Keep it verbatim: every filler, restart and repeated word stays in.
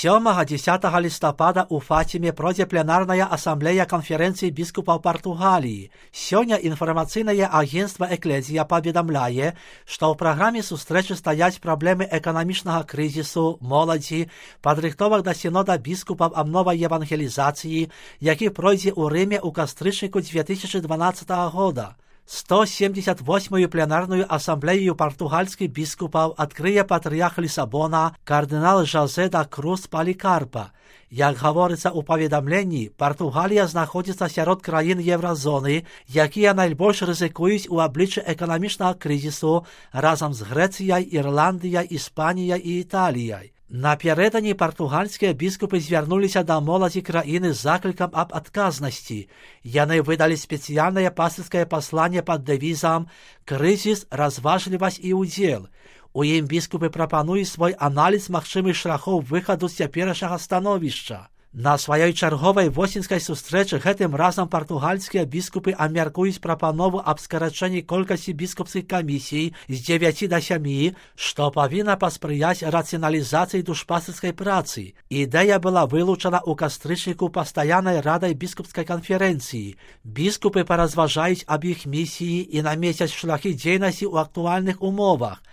сёмага-дзесятага лістапада ў Фаціме пройдзе пленарная асамблея канферэнцыі біскупаў Партугаліі. Сёння інфармацыйнае агенцтва «Эклезія» паведамляе, што ў праграме сустрэчы стаяць праблемы эканамічнага крызісу, моладзі, падрыхтовак да сінода біскупаў аб новай евангелізацыі, які пройдзе ў Рыме ў кастрычніку дзве тысячы дванаццатага года. сто семьдесят восьмую пленарную асамблею партугальскіх біскупаў адкрые патрыярх Лісабона кардынал Жозе да Круз Палікарпа. Як гаворыцца ў паведамленні, Партугалія знаходзіцца сярод краін Еўразоны, якія найбольш рызыкуюць у абліччы эканамічнага крызісу разам з Грэцыяй, Ірландыяй, Іспаніяй і Італіяй. Напярэдадні партугальскія біскупы звярнуліся да моладзі краіны з заклікам аб адказнасці. Яны выдалі спецыяльнае пастырскае пасланне пад дэвізам «Крызіс, разважлівасць і ўдзел». У ім біскупы прапануюць свой аналіз магчымых шляхоў выхаду з цяперашняга становішча. На сваёй чарговай восеньскай сустрэчы гэтым разам партугальскія біскупы абмяркуюць прапанову аб скарачэнні колькасці біскупскіх камісій з дзевяці да сямі, што павінна паспрыяць рацыяналізацыі душпастырскай працы. Ідэя была вылучана ў кастрычніку пастаяннай радай біскупскай канферэнцыі. Біскупы паразважаюць аб іх місіі і намесяць шляхі дзейнасці ў актуальных умовах.